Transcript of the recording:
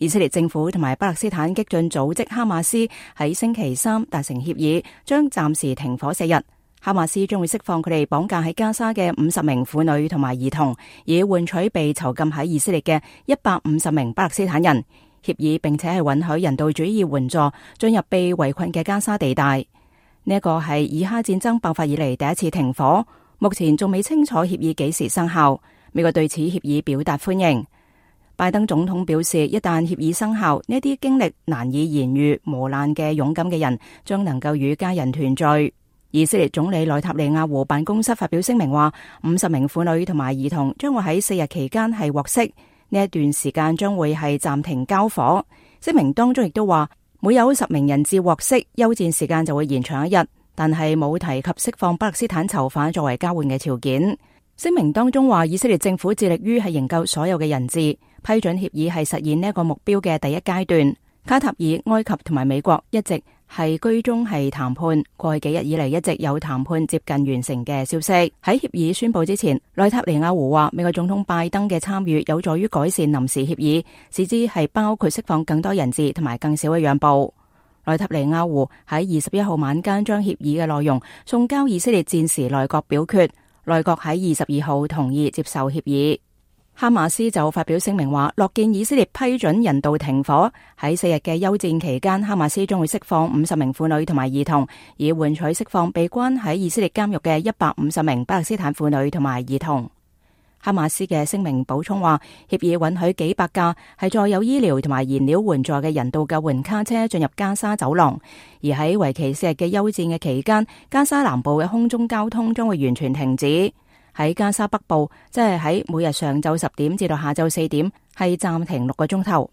以色列政府同埋巴勒斯坦激進組織哈馬斯喺星期三達成協議，將暫時停火4日。哈馬斯將會釋放佢哋綁架喺加沙嘅50名婦女同埋兒童，以換取被囚禁喺以色列嘅150名巴勒斯坦人。協議並且係允許人道主義援助進入被圍困嘅加沙地帶。呢一個係以哈戰爭爆發以嚟第一次停火，目前仲未清楚協議幾時生效。美國對此協議表達歡迎。拜登總統表示，一旦協議生效，呢啲經歷難以言喻磨難嘅勇敢嘅人將能夠與家人團聚。以色列總理內塔尼亞胡辦公室發表聲明話，50名婦女同埋兒童將會喺4日期間係獲釋，呢一段時間將會係暫停交火。聲明當中亦都話，每有10名人質獲釋，休戰時間就會延長1日，但係冇提及釋放巴勒斯坦囚犯作為交換嘅條件。聲明當中話，以色列政府致力於係營救所有嘅人質，批准協議係實現呢一個目標嘅第一階段。卡塔爾、埃及同埋美國一直係居中係談判，過去幾日以嚟一直有談判接近完成嘅消息。喺協議宣布之前，內塔尼亞胡話，美國總統拜登嘅參與有助於改善臨時協議，使之係包括釋放更多人質同埋更少嘅讓步。內塔尼亞胡喺21號晚間將協議嘅內容送交以色列戰時內閣表決，內閣喺22號同意接受協議。哈馬斯就發表聲明話，樂見以色列批准人道停火，喺4日嘅休戰期間，哈馬斯將會釋放50名婦女同埋兒童，以換取釋放被關喺以色列監獄嘅150名巴勒斯坦婦女同埋兒童。哈馬斯嘅聲明補充話，協議允許幾百架係載有醫療同埋燃料援助嘅人道救援卡車進入加沙走廊，而喺為期4日嘅休戰嘅期間，加沙南部嘅空中交通將會完全停止。喺加沙北部，即係喺每日上晝10點至到下晝4點，係暫停6個鐘頭。